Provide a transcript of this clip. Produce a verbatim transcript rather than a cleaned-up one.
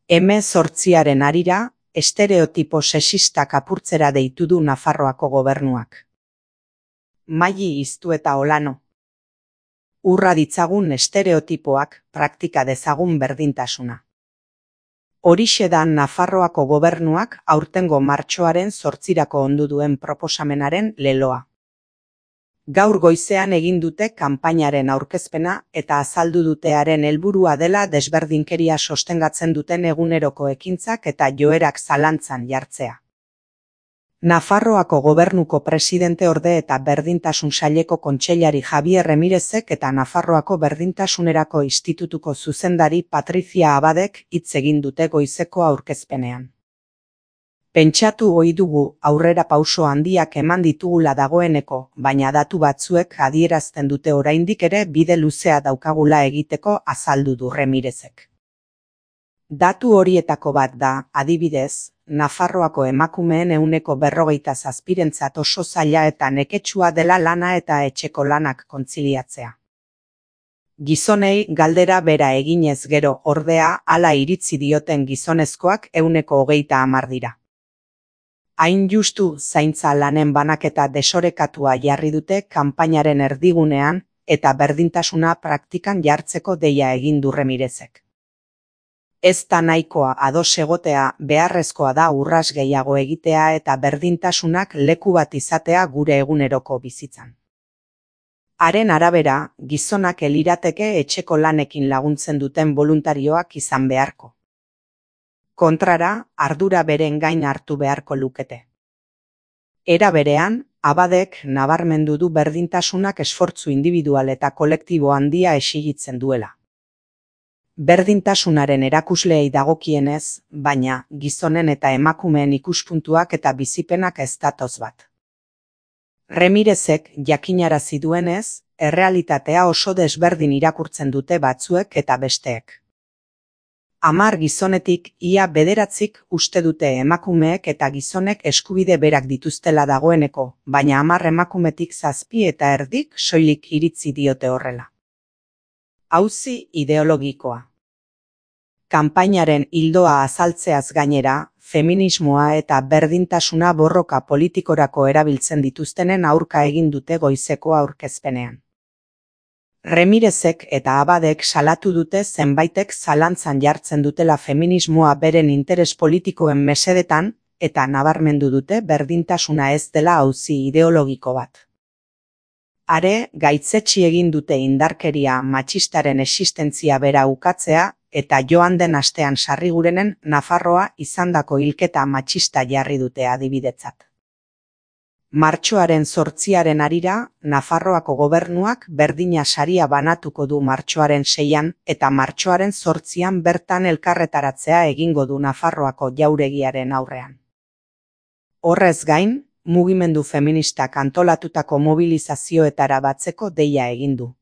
hemezortziaren harira, estereotipo sexistak apurtzera deitu du Nafarroako gobernuak. Maili Iztu eta Olano. Urra ditzagun estereotipoak, praktika dezagun berdintasuna. Horixe da Nafarroako gobernuak aurtengo martxoaren zortzirako ondu duen proposamenaren leloa. Gaur goizean egin dute kanpainaren aurkezpena eta azaldu dutearen helburua dela desberdinkeria sostengatzen duten eguneroko ekintzak eta joerak zalantzan jartzea. Nafarroako gobernuko presidenteorde eta berdintasun saileko kontseilari Javier Remirezek eta Nafarroako berdintasunerako institutuko zuzendari Patrizia Abadek hitz egin dute goizeko aurkezpenean. Pentsatu ohi dugu aurrera pauso handiak eman ditugula dagoeneko, baina datu batzuek adierazten dute oraindik ere bide luzea daukagula egiteko azaldu du Remirezek. Datu horietako bat da, adibidez, Nafarroako emakumeen ehuneko berrogeita zazpirentzat oso zaila eta neketsua dela lana eta etxeko lanak kontziliatzea. Gizonei galdera bera eginez gero ordea hala iritzi dioten gizonezkoak ehuneko hogeita hamar dira. Hain justu zaintza lanen banaketa desorekatua jarri dute kanpainaren erdigunean eta berdintasuna praktikan jartzeko deia egin du Remirezek. Ez da nahikoa ados egotea, beharrezkoa da urras gehiago egitea eta berdintasunak leku bat izatea gure eguneroko bizitzan. Haren arabera, gizonak elirateke etxeko lanekin laguntzen duten boluntarioak izan beharko. Kontrara, ardura beren gain hartu beharko lukete. Era berean, Abadek nabarmendu du berdintasunak esfortzu individual eta kolektibo handia exigitzen duela. Berdintasunaren erakusleei dagokienez, baina gizonen eta emakumeen ikuspuntuak eta bizipenak ez datoz bat. Remirezek jakinarazi duenez, errealitatea oso desberdin irakurtzen dute batzuek eta besteek. Hamar gizonetik ia bederatzik uste dute emakumeek eta gizonek eskubide berak dituztela dagoeneko, baina hamar emakumetik zazpi eta erdik soilik iritzi diote horrela. Auzi ideologikoa. Kanpainaren ildoa azaltzeaz gainera, feminismoa eta berdintasuna borroka politikorako erabiltzen dituztenen aurka egin dute goizeko aurkezpenean. Remirezek eta Abadek salatu dute zenbaitek zalantzan jartzen dutela feminismoa beren interes politikoen mesedetan eta nabarmendu dute berdintasuna ez dela auzi ideologiko bat. Are, gaitzetsi egin dute indarkeria matxistaren existentzia bera ukatzea eta joan den astean Sarrigurenen Nafarroa izandako hilketa matxista jarri dute adibidetzat. Martxoaren zortziaren harira, Nafarroako gobernuak berdina saria banatuko du martxoaren seian eta martxoaren zortzian bertan elkarretaratzea egingo du Nafarroako jauregiaren aurrean. Horrez gain, mugimendu feministak antolatutako mobilizazioetara batzeko deia egin du.